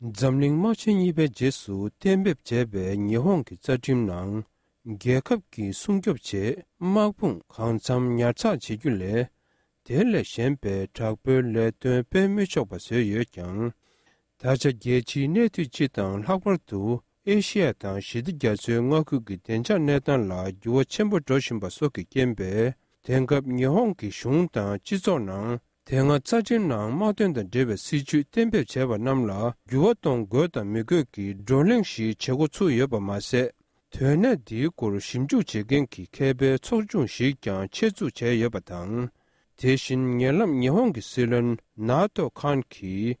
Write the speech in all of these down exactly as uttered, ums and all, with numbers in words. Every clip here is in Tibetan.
འཛམ་གླིང་དམག་ཆེན་གཉིས་པའི་རྗེས་སུ་གཏན་འབེབས་བྱས་པའི་ཉི་ཧོང་གི་རྩ་ཁྲིམས་ནང་། རྒྱལ་ཁབ་ཀྱི་སྲུང་སྐྱོབ་ཆེད་དམག་དཔུང་གང་འཚམ་ཉར་ཚགས་བྱེད་རྒྱུ་ལས། དེ་ལས་གཞན་པའི་དྲག་པོའི་ལས་དོན་སྤེལ་མི་ཆོག་པ་བཟོས་ཡོད་ཀྱང་། ད་ཆ་རྒྱལ་སྤྱིའི་གནས་སྡུད་སྤྱི་དང་ལྷག་པར་དུ་ཨེ་ཤི་ཡ་དང་ཞི་བདེ་རྒྱ་མཚོའི་མངའ་ཁུལ་གྱི་བདེ་འཇགས་གནས་སྟངས་ལ་འགྱུར་བ་ཆེན་པོ་འགྲོ་བཞིན་པ་སོགས་ཀྱི་རྐྱེན་པས། དེང་སྐབས་ཉི་ཧོང་གི་གཞུང་དང་སྤྱི་ཚོགས་ནང་། དེ་སྔ་རྩ་ཁྲིམས་ནང་དམག་དོན་དང་འབྲེལ་བའི་སྲིད་ཇུས་གཏན་འབེབས་བྱས་པ་རྣམས་ལ་འགྱུར་བ་གཏོང་དགོས་དང་མི་དགོས་ཀྱི་བགྲོ་གླེང་ཞིག་བྱེད་འགོ་ཚུགས་ཡོད་པ་མ་ཟད། དོན་གནད་འདིའི་སྐོར་ཞིབ་འཇུག་བྱེད་མཁན་གྱི་མཁས་པའི་ཚོགས་ཆུང་ཞིག་ཀྱང་ཆེད་འཛུགས་བྱས་ཡོད་པ་དང་། དེ་བཞིན་ཉེ་ལམ་ཉི་ཧོང་གི་སྲིད་བློན་ནཱ་ཏོ་ཁཱན་གྱིས།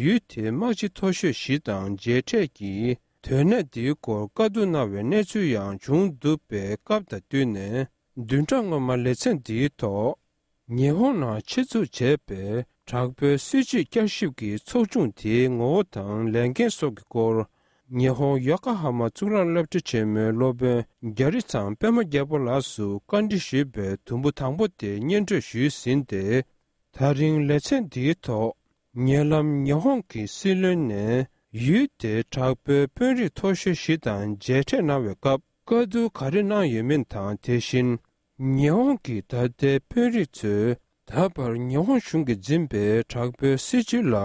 ཡུལ་དེའི་དམག་སྤྱི་མཐོ་ཤོས་བཞི་དང་མཇལ་འཕྲད་ཀྱིས། དོན་གནད་འདིའི་སྐོར་བཀའ་བསྡུར་གནང་བའི་གནས་ཚུལ་ཡང་བྱུང་འདུག་པས། སྐབས་དང་བསྟུན་ནས། བདུན་ཕྲག་སྔོན་མ་ལེ་ཚན་འདིའི་ཐོག་ཉི་ཧོང་ནང་ཆེད་འཛུགས་བྱས་པའི་དྲག་པོའི་སྲིད་ཇུས་བསྐྱར་ཞིབ་ཀྱི་ཚོགས་ཆུང་དེའི་ངོ་བོ་དང་ལས་འགན་སོགས་ཀྱི་སྐོར། ཉི་ཧོང་ཡོ་ཀ་ཧ་མ་གཙུག་ལག་སློབ་གྲྭ་ཆེན་མོའི་སློབ་དཔོན་རྒྱ་རི་ཚང་པད་མ་རྒྱལ་པོ་ལགས་སུ་བཀའ་འདྲི་ཞུས་པའི་དུམ་བུ་དང་པོ་དེ་སྙན་སྒྲོན་ཞུས་ཟིན་ཏེ། ད་རིང་ལེ་ཚན་འདིའི་ཐོག་ཉེ་ལམ་ཉི་ཧོང་གི་སྲིད་བློན་ནས་ཡུལ་དེའི་དྲག་པོའི་དཔོན་རིགས་མཐོ་ཤོས་བཞི་དང་མཇལ་འཕྲད་གནང་བའི་སྐབས། བཀའ་བསྡུར་ག་རེ་གནང་ཡོད་མིན་དང་། དེ་བཞིན། ཉི་ཧོང་གི་ད་ལྟའི་དཔོན་རིགས་ཚོས་ད་བར་ཉི་ཧོང་གཞུང་གིས་འཛིན་པའི་དྲག་པོའི་སྲིད་བྱུས་ལ་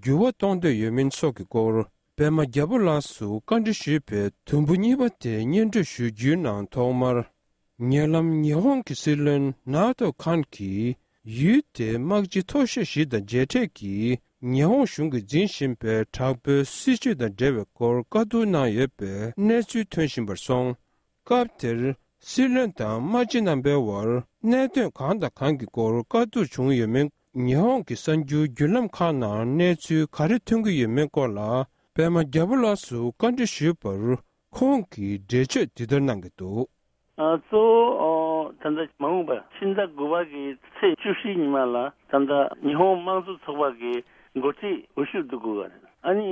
འགྱུར་བ་གཏོང་འདོད་ཡོད་མིན་སོགས་ཀྱི་སྐོར། པད་མ་རྒྱལ་པོ་ལགས་སུ་བཀའ་འདྲི་ཞུས་པའི་དུམ་བུ་གཉིས་པ་དེ་སྙན་སྒྲོན་ཞུ་རྒྱུའི་ནང་ཐོག་མར། ཉེ་ལམ་ཉི་ཧོང་གི་སྲིད་བློན་ནཱ་ཏོ་ཁཱན་གྱིས། ཡུལ་དེའི་དམག་སྤྱི་མཐོ་ཤོས་ཞིག་དང་མཇལ་འཕྲད་ཀྱིས། ཉི་ཧོང་གཞུང་གིས་འཛིན་བཞིན་པའི་དྲག་པོའི་སྲིད་བྱུས་དང་འབྲེལ་བའི་སྐོར་བཀའ་བསྡུར་གནང་ཡོད་པའི་གནས་ཚུལ་ཐོན་བཞིན་པར་སོང་། སྐབས་དེར་སྲིད་བློན་དང་དམག་སྤྱི་རྣམ་པའི་དབར་གནད་དོན་གང་དང་གང་གི་སྐོར་བཀའ་བསྡུར་བྱུང་ཡོད་མེད། ཉི་ཧོང་གི་གསར་འགྱུར་བརྒྱུད་ལམ་ཁག་ནང་གནས་ཚུལ་ག་རེ་ཐོན་གྱི་ཡོད་མེད་སྐོར་ལ་པད་མ་རྒྱལ་པོ་ལགས་སུ་བཀའ་འདྲི་ཞུས་པར། ཁོང་གིས་འགྲེལ་བརྗོད་འདི་ལྟར་གནང་གི་འདུག། ཨ། གཙོ་བོ་ད་ལྟ་མ་འོངས་པ་ཕྱི་ཟླ་དགུ་པ་གི་ཚེས་བཅུ་བཞི་ཉི་མ་ལ་ད་ལྟ་ཉི་ཧོང་དམངས་གཙོ་ཚོགས་པ་གི་འགོ་ཁྲིད་འོས་ཤོག་བསྡུ་དགོས་པ་རེད། ཨ་ནི་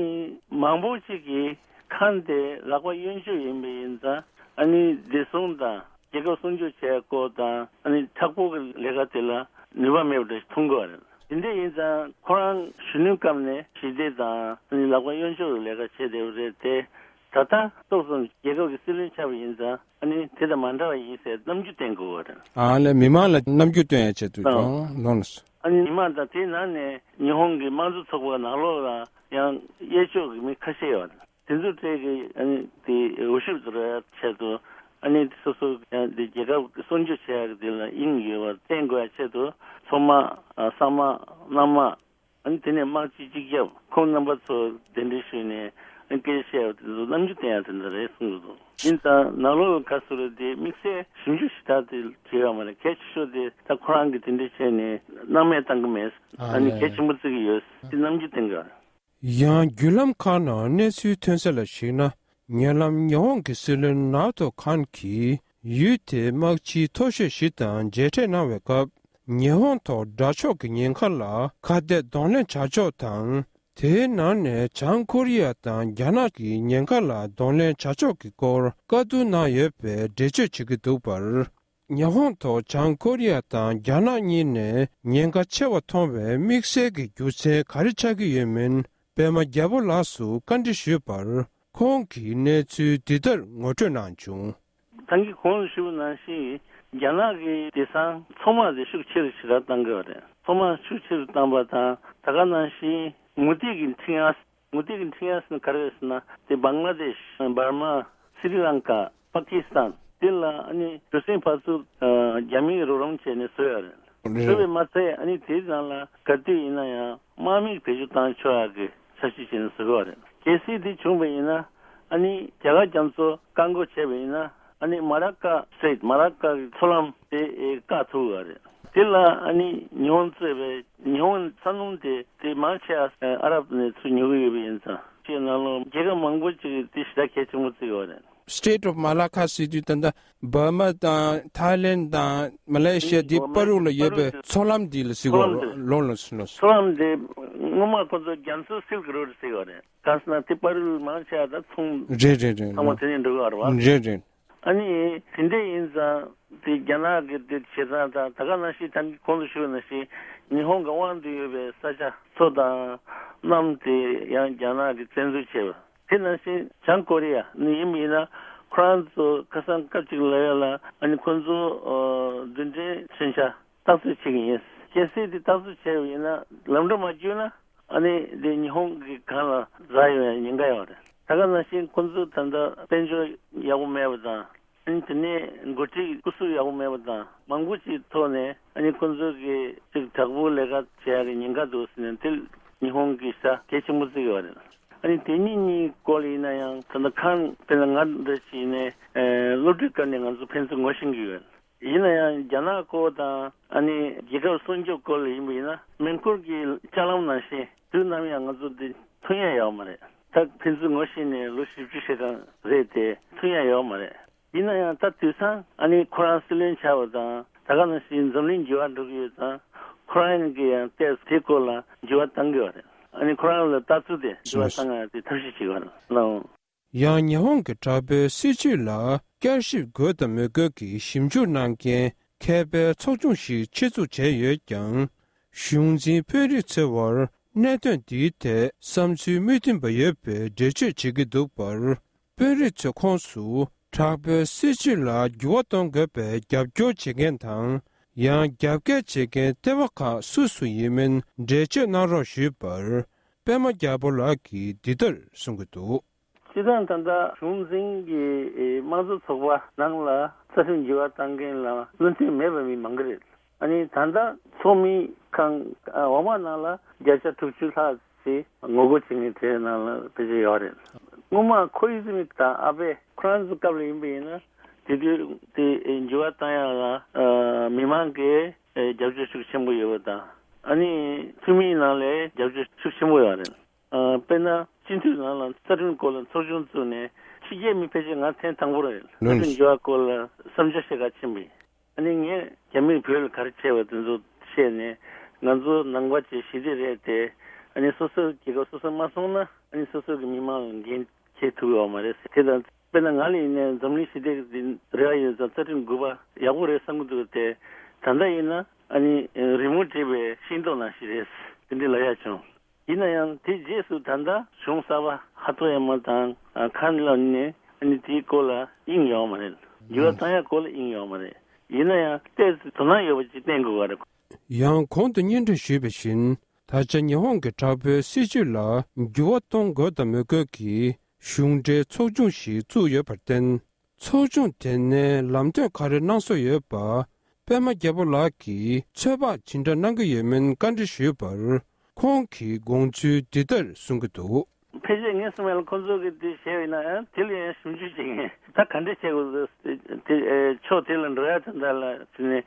མང་པོ་ཅིག་གིས་ཁཱན་དེ་ལག་པ་གཡོན་ཕྱོགས་ཡིན་པ་ཡིན་ཙང་། ཨ་ནི་བདེ་སྲུང་དང་རྒྱལ་ཁབ་སྲུང་སྐྱོབ་བྱེད་ཡ་སྐོར་དང་། ཨ་ནི་མཐའ་འཁོར་གྱི་ལས་ཀ་དེ་ལ་ནུས་པ་མེད་པ་འདྲ་ཞིག་མཐོང་གི་ཡོད་རེད། དེ་འདྲ་ཡིན་ཙང་ཁོ་རང་གཞོན་ནུའི་སྐབས་ནས་ཞི་བདེ་དང་། ཨ་ནི་ལག་པ་གཡོན་ཕྱོགས་ཀྱི་ལས་ཀ་བྱས་བསྡད་པ་རེད་དེ། ད་ལྟ་ཏོག་ཙམ་རྒྱལ་ཁབ་ཀྱི་སྲིད་བློན་ཆགས་པ་ཡིན་ཙང་། ཨ་ནི་དེ་དང་མ་འདྲ་བ་ཡིན་ཟེར་རྣམ་འགྱུར་བསྟན་དགོས་པ་རེད། ཨ་ལས་མི་མང་ལ་རྣམ་འགྱུར་སྟོན་ཡ་ཆེད་དུ་ཨང་། ལོངས། ཨ་ནི་མི་མང་དང་དེའི་ནང་ནས་ཉི་ཧོང་གི་དམངས་གཙོ་ཚོགས་པ་ནང་ལོགས་ལ་ཡང་གཡས་ཕྱོགས་ཀྱི་མི་ཁ་ཤས་ཡོད་རེད། དེ་ཚོ་གྲས་ཀྱི་ཨ་ནི་དེ་འོས་ཤོག་ཏུ་རག་ཆེད་དུ། ཨ་ནི་སོ་སོ་ཡང་དེ་རྒྱལ་ཁབ་སྲུང་སྐྱོབ་བྱེད་ཡག་དེ་ལ་དབྱིངས་ཡོད་པ་བསྟན་དགོས་ཡ་ཆེད་དུ། ཚོགས་དམག་ཨ་ས་དམག་གནམ་དམག་ཨ་ནི་དེ་ནས་དམག་སྤྱི་སྤྱི་ཁྱབ་ཁོང་རྣམ་པ་ཚོ་གདན་འདྲེན་ཞུས་ནས། ཨ་ནི་སྐད་ཆ་བཤད་ཡ་དེ་ཚོ་རྣམ་འགྱུར་བསྟན་ཡ་དེ་འདྲ་རེད་གསུང་གི་འདུག། ཡིན་ཙང་ནང་ལོགས་ལ་ག་ཚོད་རེད་དེ་དམིགས་བསལ་ཞིབ་འཇུག་ཞེ་དྲག་དེ་བྱེད་ཡོད་མ་རེད། གལ་ཆེ་ཤོས་དེ་ད་ཁོ་རང་གིས་དེ་འདྲ་བྱས་ནས་སྣང་མེད་བཏང་གི་མེད། ཨ་ཨ་ནི་ལས། གལ་ཆེན་པོ་བརྩི་གི་ཡོད། དེ་རྣམ་འགྱུར་བསྟན་གི་རེད། ཡང་བརྒྱུད་ལམ་ཁག་ནང་གནས་ཚུལ་ཐོན་གསལ་ལ་གཞིགས་ན། ཉེ་ལམ་ཉི་ཧོང་གི་སྲིད་བློན་ནཱ་ཏོ་ཁཱན་གྱིས་ཡུལ་དེའི་དམག་སྤྱིའི་མཐོ་ཤོས་ཞིག་དང་མཇལ་འཕྲད་གནང་བའི་སྐབས། ཉི་ཧོང་ཐོག་དགྲ་ཕྱོགས་ཀྱི་ཉེན་ཁ་ལ་ཁ་གཏད་གདོང་ལེན་བྱ་ཕྱོགས་དང་། དེའི་ནང་ནས་བྱང་ཀོ་རི་ཡ་དང་རྒྱ་ནག་གི་ཉེན་ཁ་ལ་གདོང་ལེན་བྱ་ཕྱོགས་ཀྱི་སྐོར་བཀའ་བསྡུར་གནང་ཡོད་པའི་འགྲེལ་བརྗོད་བྱེད་ཀྱི་འདུག་པར། ཉི་ཧོང་ཐོག་བྱང་ཀོ་རི་ཡ་དང་རྒྱ་ནག་གཉིས་ནས་ཉེན་ཁ་ཆེ་བ་མཐོང་བའི་དམིགས་བསལ་གྱི་རྒྱུ་མཚན་ག་རེ་ཆགས་ཀྱི་ཡོད་མིན། པད་མ་རྒྱལ་པོ་ལགས་སུ་བཀའ་འདྲི་ཞུས་པར། ཁོང་གིས་གནས་ཚུལ་འདི་ལྟར་ངོ་སྤྲོད་གནང་བྱུང་། ད་གིན་གོང་དུ་ཞུས་པ་ནང་བཞིན། རྒྱ་ནག་གིས་དེང་སང་ཚོང་དམག་དེ་ཤུགས་ཆེ་རུ་ཞེ་དྲག་བཏང་གི་ཡོད་རེད། ཚོང་དམག་ཤུགས་ཆེ་རུ་བཏང་པ་དང་། ད་ག་ནང་བཞིན་མུ་ཏིག་གི་འཕྲིན་ཡ། མུ་ཏིག་གི་འཕྲིན་ཡ་ཟེར་ན་ག་རེ་རེད་ཟེར་ན། དེ་བང་ལ་དེཤ། འབར་མ། སི་རི་ལང་ཀ། པ་ཀི་སི་ཐན། དེ་ལ་ཨ་ནི་གྲུ་གཟིངས་ཕར་ཚུར་ཨ་རྒྱ་མིས་རོགས་རམ་བྱས་ནས་བཟོས་ཡོད་རེད། རེད། བཟོས་པས་མ་ཚད། ཨ་ནི་དེའི་ནང་ལ་ག་དུས་ཡིན་ན་ཡང་དམག་མི་བེད་སྤྱོད་བཏང་ཆོག་ཡག་གི་འཆར་གཞི་བྱས་ནས་བཟོས་ཡོད་རེད། གལ་སྲིད་དེ་བྱུང་བ་ཡིན་ན། ཨ་ནི་རྒྱ་གར་རྒྱ་མཚོ་བཀག་འགོག་བྱས་པ་ཡིན་ན། ཨ་ནི་མ་ལ་ཀ་སི་ཊེ་ཊི། མ་ལ་ཀ་གི་མཚོ་ལམ་དེ་ཨེ་བཀག་ཐུབ་ཡོད་རེད། དེ་ལ་ཨ་ནི་ཉི་ཧོང་གཙོས་པའི་ཉི་ཧོང་ས་སྣུམ་དེ་དེ་མང་ཆེ་བ་ཨ་རབ་ནས་ཚུར་ཉོ་གི་ཡོད་པ་ཡིན་ཙང་། ཅིག་ནང་ལོགས་རྒྱལ་ཁབ་མང་པོ་ཅིག་གིས་དེ་ཞེ་དྲག་གལ་ཆེན་པོ་བརྩི་གི་ཡོད་རེད། Strait of Malacca ཟེར་དུས་ད་ལྟ་འབར་མ་དང་ཐའི་ལེན་དང་མ་ལེ་ཤི་ཡ་དེ་བར་རུ་ལ་ཡོད་པའི་མཚོ་ལམ་འདི་ལ་ཟེར་གི་ཡོད་རེད། མཚོ་ལམ་དེ། ལོ་ལོ་ལོ། མཚོ་ལམ་དེ་སྔོན་མ་ཁོ་ཚོ་རྒྱ་མཚོ་སིལ་ཀི་རོ་ཌི་ཟེར་གི་ཡོད་རེད། གང་ཟེར་ན་དེ་བར་རུ་མང་ཆེ་བ་ད་ཚོང་རེད་རེད་རེད། ཚང་མ་དེ་ནས་འགྲོ་གི་ཡོད་རེད་བ། རེད་རེད། ཨ་ནི་དེ་འདྲ་ཡིན་ཙང་ དེ་རྒྱ་ནག་གི་དེ་བྱེད་སྟངས་དང་། ད་ག་ནང་བཞིན་ད་གོང་དུ་ཞུས་ནང་བཞིན་ཉི་ཧོང་གི་དབང་དུ་ཡོད་པའི་ས་ཆ་མཚོ་དང་གནམ་དེ་ཡང་རྒྱ་ནག་གིས་བཙན་འཛུལ་བྱས་པ། དེ་ནང་བཞིན་བྱང་ཀོ་རི་ཡ་ནི་ཡིན་པ་ཡིན་ན། ཁོ་རང་ཚོ་ཁ་སང་སྐབས་གཅིག་ལ་ཡ་ལ་ཨ་ནི་ཁོ་ཚོ་ཨ་རྡུལ་ཕྲན་མཚོན་ཆ་བརྟག་དཔྱད་བྱེད་ཀྱི་ཡིན། གལ་སྲིད་དེ་བརྟག་དཔྱད་བྱས་པ་ཡིན་ན། ལམ་འགྲོ་མ་བཅུག་ན་ཨ་ནི་དེ་ཉི་ཧོང་གི་སྒང་ལ་འཛེག་ཡོང་ཡ་ཉེན་ཁ་ཡོད་རེད། ད་ག་ནང་བཞིན་ཁོ་ཚོ་ད་ལྟ་དཔལ་འབྱོར་ཡག་པོ་མེད་པ་དང་། ཨ་ནི་དེ་ནས་འགོ་ཁྲིད་སྐུ་གཟུགས་ཡག་པོ་མེད་པ་དང་། མང་པོ་ཅིག་ཐོག་ནས་ཨ་ནི་ཁོ་ཚོ་གི་ཅིག་དྲག་པོའི་ལས་ཀ་བྱེད་ཡ་གི་ཉེན་ཁ་འདུག་ཟེར་ནས། དེ་ཉི་ཧོང་གིས་ཤུགས་གལ་ཆེན་པོ་བརྩི་གི་ཡོད་རེད། ཨ་ནི་དེ་གཉིས་གཉིས་སྐོར་ལ་ཡིན་ན་ཡང་། ད་ལྟ་ཁ་སང་དཔེར་ན་ང་འདྲ་ཞིག་ནས་ཨ་སློབ་ཕྲུག་སྐབས་ནས་ང་ཚོ་ཕན་ཚུན་ངོ་ཤེས་ཀྱི་ཡོད། ཡིན་ན་ཡང་རྒྱ་ནག་སྐོར་དང་ཨ་ནི་རྒྱལ་ཁབ་སྲུང་སྐྱོབ་སྐོར་ལ་ཡིན་པ་ཡིན་ན། མེ་འཁོར་གྱི་ལྕགས་ལམ་ནང་བཞིན་དུས་ནམ་ཡང་ང་ཚོ་འདི་མཐུན་ཡ་ཡོད་མ་རེད། ད་ཕན་ཚུན་ངོ་ཤེས་ནས་ལོ་བཞི་བཅུ་ཞིག་གང་རེད་དེ། མཐུན་ཡ་ཡོད་མ་རེད། ཡིན་ན་ཡང་ད་དུས་སང་ཨ་ནི་ཁོ་རང་སྲིད་བློན་ཆགས་པ་དང་། ད་ག་ནང་བཞིན་འཛམ་གླིང་འགྱུར་བ་འགྲོ་གི་ཡོད་ཙང་། ཁོ་རང་གིས་ཡང་ཏོག་ཙམ་དེའི་སྐོར་ལ་འགྱུར་བ་གཏང་གི་ཡོད་རེད། ཨ་ནི་ཁོ་རང་ལ་ལྟ་ཚུལ་དེ་འགྱུར་བ་གཏང་ཡ་དེ་ཐབས་ཤེས་བྱེད་དགོས་རེད་ལགས། ཡང་ཉི་ཧོང་གི་དྲག་པོའི་སྲིད་བྱུས་ལ་བསྐྱར་ཞིབ་དགོས་དང་མི་དགོས་ཀྱི་ཞིབ་འཇུག་གནང་མཁན་མཁས་པའི་ཚོགས་ཆུང་ཞིག་ཆེད་འཛུགས་བྱས་ཡོད་ཀྱང་། གཞུང་འཛིན་དཔོན་རིགས་ཚོའི་བར་གནད་དོན་འདིའི་ཐད་བསམ་ཚུལ་མི་མཐུན་པ་ཡོད་པའི་འགྲེལ་བརྗོད་བྱེད་ཀྱི་འདུག་པར། དཔོན་རིགས་ཚོའི་ཁོངས་སུ་དྲག་པོའི་སྲིད་བྱུས་ལ་འགྱུར་བ་གཏོང་དགོས་པའི་རྒྱབ་སྐྱོར་བྱེད་མཁན་དང་། ཡང་རྒྱབ་འགལ་བྱེད་མཁན་ལྟེ་བ་ཁག་སུ་སུ་ཡིན་མིན་འགྲེལ་བརྗོད་གནང་རོགས་ཞུས་པར། པད་མ་རྒྱལ་པོ་ལགས་ཀྱིས་འདི་ལྟར་གསུང་གི་འདུག། སྤྱིར་བཏང་ད་ལྟ་གཞུང་འཛིན་གྱི་དམངས་གཙོ་ཚོགས་པ་ནང་ལ་རྩ་ཁྲིམས་འགྱུར་བ་གཏང་མཁན་ལ་བློ་མཐུན་མེད་པ་མི་མང་གི་རེད། ཨ་ནི་ད་ལྟ་ཚོགས་མི་ཁང་འོག་མ་ནང་ལ་བརྒྱ་ཆ་དྲུག་ཅུ་ལྷག་ཅིག་ངོ་རྒོལ་བྱེད་མཁན་དེ་ནང་ལ་ཕལ་ཆེར་ཡོད་རེད། སྔོན་མ་ཁོ་ཨི་ཟི་མི་དང་ཨ་བྷེ་ཁོ་རང་ཚོ་སྐབས་ལ་ཡིན་པ་ཡིན་ན། དེ་དུས་དེ་འགྱུར་བ་གཏང་ཡག་ལ་མི་མང་གིས་རྒྱབ་སྐྱོར་ཤུགས་ཆེན་པོ་ཡོད་པ་དང་། ཨ་ནི་འཐུས་མིའི་ནང་ལ་རྒྱབ་སྐྱོར་ཤུགས་ཆེན་པོ་ཡོད་རེད། ཨ། དཔེར་ན་སྤྱི་འཐུས་ནང་ལ་རྩ་ཁྲིམས་སྐོར་ལ་ཚོགས་ཆུང་བཙུགས་ནས་ཕྱི་རྒྱལ་མི་ཕལ་ཆེར་ང་ཐེངས་དང་པོ་རེད། རྩ་ཁྲིམས་འགྱུར་བ་སྐོར་ལ་བསམ་འཆར་བཤད་ག་ཕྱིན་པ་ཡིན། ཨ་ནི་ངས་རྒྱ་མིས་བོད་ལ་ག་རེ་བྱས་པ་དེ་ཚོ་བཤད་ནས། ང་ཚོ་ནང་པ་ཅིག་ཞི་བདེ་རེད་དེ། ཨ་ནི་སོ་སོའི་རྒྱལ་ཁབ་སོ་སོ་མ་སྲུང་ན། ཨ་ནི་སོ་སོ་གི་མི་མང་ལ་འགན་འཁྱེར་ཐུབ་ཡོད་མ་རེད་ཟེར། དེ་དང་དཔེར་ན་ང་ལ་ཡིན་ནའི་འཛམ་གླིང་ཞི་བདེ་གི་རེ་བ་ཡོད་ཙང་། རྩ་ཁྲིམས་དགུ་པ་ཡག་པོ་རེད་བསམ་གྱི་འདུག་སྟེ། ད་ལྟ་ཡིན་ན་ཨ་ནི་རི་མོ་བྲིས་པའི་ཤིང་ཏོག་ནང་བཞིན་རེད། དེ་འདྲ་ལབ་ཡག་བྱུང་། ཡིན་ན་ཡང་དེའི་རྗེས་སུ་ད་ལྟ་གཞུང་གསར་པ་ཧ་ཐོ་ཡ་མ་དང་། ཨ། ཁ་ལ་ནི་ཨ་ནི་དེའི་སྐོར་ལ་དབྱིངས་ཡོད་མ་རེད། འགྱུར་བ་གཏང་ཡག་སྐོར་ལ་དབྱིངས་ཡོད་མ་རེད། ཡིན་ན་ཡང་ཏོག་ཙམ་དོ་སྣང་ཡོད་པ་ཅིག་བསྟན་དགོས་པ་རེད། ཡང་གོང་དུ་སྙན་སྒྲོན་ཞུས་པ་བཞིན། ད་ཆ་ཉི་ཧོང་གི་དྲག་པོའི་སྲིད་བྱུས་ལ་འགྱུར་བ་གཏོང་དགོས་དང་མི་དགོས་ཀྱི་གཞུང་འབྲེལ་ཚོགས་ཆུང་ཞིག་བཙུགས་ཡོད་པར་བརྟེན། ཚོགས་ཆུང་དེ་ནས་ལམ་སྟོན་ག་རེ་གནང་སྲོལ་ཡོད་པ། པད་མ་རྒྱལ་པོ་ལགས་ཀྱིས་ཚོད་དཔག་ཇི་འདྲ་གནང་གི་ཡོད་མིན་བཀའ་འདྲི་ཞུས་པར། ཁོང་གིས་དགོངས་ཚུལ་འདི་ལྟར་གསུང་གི་འདུག། ཕལ་ཆེར་ངས་གསུངས་པ་ལ་ཁོང་ཚོ་གིས་དེ་བྱས་ཡོད་ན་ཡང་། དེ་ལ་ཡང་ཞིབ་འཇུག་བྱེད་མཁན། ད་ག་འདྲ་བྱེད་དགོས་ཟེར་དེ། ཨེ། ཕྱོགས་དེ་ལ་འགྲོ་ཡ་དེ་འདྲ་ལ་བྱས་ནས།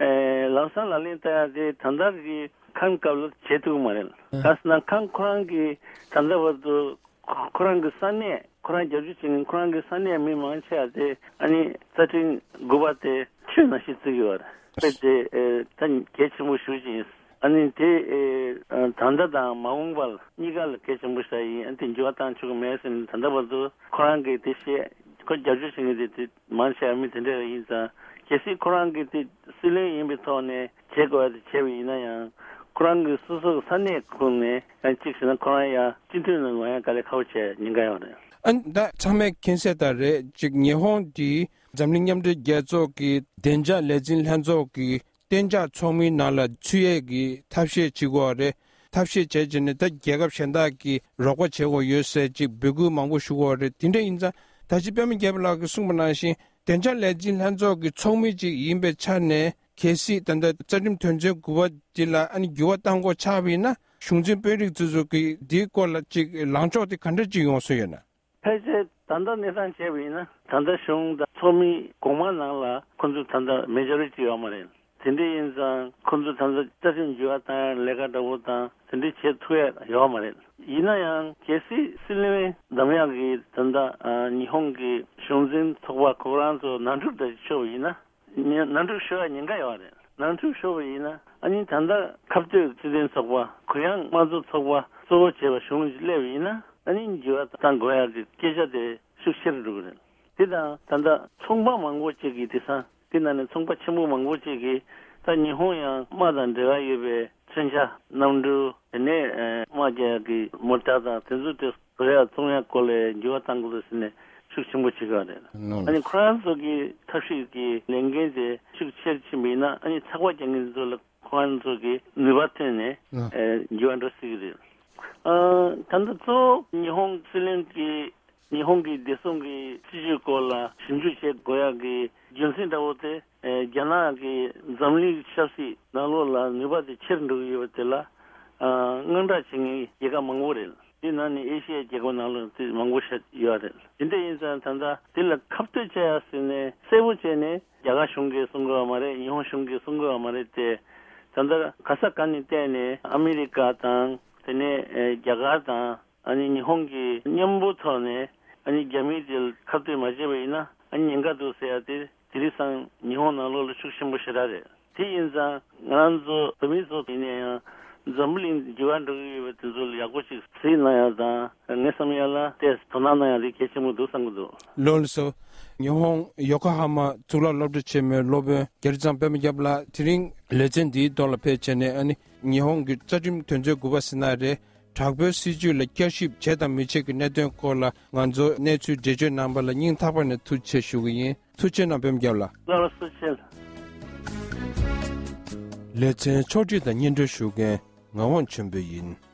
ཨེ། ལམ་སང་ལག་ལེན་བསྟར་ཡ་དེ་ད་ལྟ་གི་ཁམས་སྐབས་ལ་བྱེད་ཐུབ་ཀྱི་མ་རེད། གང་ཟེར་ན་ཁམས་ཁོ་རང་གི་ད་ལྟ་བར་དུ་ཁོ་རང་གི་ས་གནས། ཁོ་རང་རྒྱབ་སྐྱོར་བྱེད་མཁན་ཁོ་རང་གི་ས་གནས་མི་མང་ཆེ་བ་དེ་ཨ་ནི་རྩ་ཁྲིམས་དགུ་པ་དེ་ཆོས་ནང་བཞིན་བརྩི་གི་ཡོད་རེད། དཔེ་དེ། ཨེ། ད་གལ་ཆེན་པོ་ཞེ་པོ་ཅིག་ཡིན། ཨ་ནི་དེ། ཨེ། ད་ལྟ་དང་མ་འོངས་པ་ལ་གཉིས་ཀ་ལ་གལ་ཆེན་པོ་ཞིག་ཡིན། ཨ། དེ་འགྱུར་བ་གཏང་ཆོག་གི་མེད་ཟེར་ནས། ད་ལྟ་བར་དུ་ཁོ་རང་གིས་དེ་བཤད། ཁོ་རྒྱབ་སྐྱོར་བྱེད་མཁན་དེ་དེ་མང་ཆེ་བ་མི་དེ་འདྲ་ཡིན་ཙང་། གལ་སྲིད་ཁོ་རང་གིས་དེ་སྲིད་བློན་ཡིན་པའི་ཐོག་ནས་བྱེད་དགོས་པ་དེ་བྱས་པ་ཡིན་ན་ཡང་། ཁོ་རང་གི་སོ་སོ་གི་ས་གནས་ཁོངས་ནས་ཡང་གཅིག་བྱས་ན། ཁོ་རང་ཡང་སྤྱི་འཐུས་ནང་ལ་ཡང་དཀའ་ལས་ཁག་པོ་བྱས་ཉེན་ཁ་ཡོད་རེད། ཨ། ད་ཚང་མས་མཁྱེན་གསལ་ལྟར་རེད། གཅིག་ཉི་ཧོང་འདི་འཛམ་གླིང་མཉམ་འབྲེལ་རྒྱལ་ཚོགས་ཀྱི་བདེ་འཇགས་ལས་འཛིན་ལྷན་ཚོགས་ཀྱི་གཏན་འཇགས་ཚོགས་མིའི་ནང་ལ་ཚུད་ཡས་ཀྱི་ཐབས་ཤེས་བྱེད་དགོས་རེད། ཐབས་ཤེས་བྱས་བྱས་ནས། ད་རྒྱལ་ཁབ་གཞན་དག་གིས་རོགས་པ་བྱེད་དགོས་ཡོད་ཟེར་ཅིག་འབོད་སྐུལ་མང་པོ་ཞུ་དགོས་རེད། དེ་འདྲ་ཡིན་ཙང་། ད་ཅི་པད་མ་རྒྱལ་པོ་ལགས་ཀྱིས་གསུངས་པ་ནང་བཞིན་བདེ་འཇགས་ལས་འཛིན་ལྷན་ཚོགས་ཀྱི་ཚོགས་མི་ཅིག་ཡིན་པའི་ཆ་ནས། གལ་སྲིད་ད་ལྟ་རྩ་ཁྲིམས་དོན་ཚན་དགུ་པ་འདི་ལ་ཨ་ནི་འགྱུར་བ་གཏང་དགོས་ཆགས་པ་ཡིན་ན། གཞུང་འཛིན་དཔོན་རིགས་ཚོ་ཚོ་གིས་འདིའི་སྐོར་ལ་ཅིག་ལངས་ཕྱོགས་དེ་ག་འདྲ་ཅིག་ཡོང་བཟོ་ཡོད་ན། ཕལ་ཆེར་ད་ལྟ་གནས་སྟངས་བྱས་པ་ཡིན་ན། ད་ལྟ་གཞུང་དང་ཚོགས་མི་གོང་མ་ནང་ལ་ཁོ་ཚོ་ད་ལྟ་མེ་ཇོ་རི་ཊི་ཡོད་མ་རེད། དེ་འདྲ་ཡིན་ཙང་ཁོ་ཚོ་ད་ལྟ་རྩ་ཁྲིམས་འགྱུར་བ་གཏང་ཡ་ལས་ཀ་འདྲ་པོ་དང་དེ་འདྲ་བྱེད་ཐུབ་ཡ་ཡོད་མ་རེད། ཡིན་ན་ཡང་གལ་སྲིད་སྲིད་བློན་འདེམས་ཡག་གི་ད་ལྟ་ཨ་ཉི་ཧོང་གི་གཞུང་འཛིན་ཚོགས་པ་ཁོ་རང་ཚོ་ནང་འཁྲུག་འདྲ་ཤོར་བ་ཡིན་ན། ནང་འཁྲུག་ཤོར་ཡ་ཉེན་ཁ་ཡོད་རེད། ནང་འཁྲུག་ཤོར་བ་ཡིན་ན། ཨ་ནི་ད་ལྟ་ཁ་གཏད་སྲིད་དོན་ཚོགས་པ། གུ་ཡངས་དམངས་གཙོ་ཚོགས་པ་གཙོ་བོ་བྱས་པ་གཞུང་ཞིག་སླེབས་པ་ཡིན་ན། ཨ་ནི་འགྱུར་བ་གཏང་དགོས་ཡ་གི་སྐད་ཆ་དེ་ཤུགས་ཆེ་རུ་འགྲོ་གི་རེད། དེ་དང་ད་ལྟ་ཚོང་པ་མང་པོ་ཅིག་གིས་དེང་སང་ དེ་ནང་ནས་ཚོང་པ་ཆེན་པོ་མང་པོ་ཅིག་གིས་ད་ཉི་ཧོང་ཡང་དམག་དང་འབྲེལ་བ་ཡོད་པའི་མཚོན་ཆ། གནམ་གྲུ། དེ་ནས་ཨ་དམག་རྒྱག་གི་མོ་ཊ་དང་དེ་ཚོ་དེ་བཟོ་ཡག་བཙོང་ཡག་སྐོར་ལ་འགྱུར་བ་གཏང་དགོས་ཟེར་ནས་ཤུགས་ཆེན་པོ་བྱེད་ཀྱི་ཡོད་རེད། ནོ། ཨ་ནི་ཁོ་རང་ཚོ་གི་ཐབས་ཤེས་ཀྱི་ལས་འགན་དེ་ཤུགས་ཆེར་ཕྱིན་པ་ཡིན་ན། ཨ་ནི་ཚགས་པར་རྒྱག་མཁན་ཚོ་ལ་ཁོ་རང་ཚོ་གི་ནུས་པ་ཐོན་ནས། ཨ། ཨེ་འགྱུར་བ་འགྲོ་སྲིད་ཀྱི་རེད། ཨ། ད་ལྟ་གཙོ་བོ་ཉི་ཧོང་སྲིད་བློན་གྱིས་ཉི་ཧོང་གི་བདེ་སྲུང་གི་སྲིད་བྱུས་སྐོར་ལ་ཞིབ་འཇུག་བྱེད་དགོས་ཡག་གི་རྒྱུ་མཚན་འདྲ་བོ་དེ། ཨེ། རྒྱ་ནག་གིས་འཛམ་གླིང་ཆབ་སྲིད་ནང་ལོགས་ལ་ནུས་པ་དེ་ཆེར་འགྲོ་གི་ཡོད་པ་དེ་ལ། ཨ། དངངས་སྐྲག་བྱེད་མཁན་རྒྱལ་ཁབ་མང་པོ་རེད། དེ་ནང་ནས་ཨེ་ཤི་ཡའི་རྒྱལ་ཁབ་ནང་ལོགས་དེ་མང་པོ་ཤར་ཡོད་རེད། དེ་འདྲ་ཡིན་ཙང་ད་ལྟ་དེ་ལ་ཁ་གཏད་བྱ་ཡག་ཟེར་ནས་གསལ་པོ་བྱས་ནས་རྒྱ་གར་གཞུང་གིས་གསུང་གི་ཡོད་མ་རེད། ཉི་ཧོང་གཞུང་གིས་གསུང་གི་ཡོད་མ་རེད་དེ། ད་ལྟ་ག་ས་ག་ནས་བལྟས་ནས་ཨ་མི་རི་ཀ་དང་། དེ་ནས་ཨེ་རྒྱ་གར་དང་། ཨ་ནི་ཉི་ཧོང་གིས་མཉམ་པོ་ཐོག་ནས་ཨ་ནི་རྒྱ་མི་དེ་ཁ་གཏད་མ་བྱས་པ་ཡིན་ན། ཨ་ནི་ཉེན་ཁ་འདུག་ཟེར་ཡ་དེ་དེ་རིང་སང་ཉི་ཧོང་ནང་ལོགས་ལ་ཤུགས་ཆེན་པོ་ཞེ་དྲག་རེད། དེ་ཡིན་ཙང་ང་རང་ཚོ་བོད་མི་ཚོ་ཡིན་ན་ཡང་འཛམ་བུ་གླིང་འགྱུར་བ་འགྲོ་གི་ཡོད་པ་དེ་ཚོ་ལ་ཡག་པོ་ཞིག་གཟིགས་གནང་ཡ་དང་། ངས་བསམ་ཡ་ལ་དེ་དོ་སྣང་གནང་ཡ་དེ་གལ་ཆེན་པོ་འདུག་བསམ་གྱི་འདུག། ལགས་སོ། ཉི་ཧོང་ཡོ་ཀོ་ཧ་མ་གཙུག་ལག་སློབ་གྲྭ་ཆེན་མོའི་སློབ་དཔོན་རྒྱ་རི་ཚང་པད་མ་རྒྱལ་ལགས། དེ་རིང་ལེ་ཚན་འདིའི་ཐོག་ལ་ཕེབས་བྱས་ནས། ཨ་ནི་ཉི་ཧོང་གི་རྩ་ཁྲིམས་དོན་ཚན་དགུ་པ་ཟེར་ན་རེད། དྲག་པོའི་སྲིད་བྱུས་ལ་བསྐྱར་ཞིབ་བྱེད་དང་མི་བྱེད་ཀྱི་གནད་དོན་སྐོར་ལ་ང་ཚོ་གནས་ཚུལ་འགྲེལ་བརྗོད་གནང་བ་ལ་སྙིང་ཐག་པ་ནས་ཐུགས་རྗེ་ཆེ་ཞུ་གི་ཡིན། ཐུགས་རྗེ་གནང་པད་མ་རྒྱལ་ལགས། ལགས་སོ། ཐུགས་རྗེ་ཆེ། ལེ་ཚན་ཕྱོགས་སྒྲིག་དང་སྙན་སྒྲོན་ཞུ་མཁན་ངག་དབང་ཆོས་འཕེལ་ཡིན།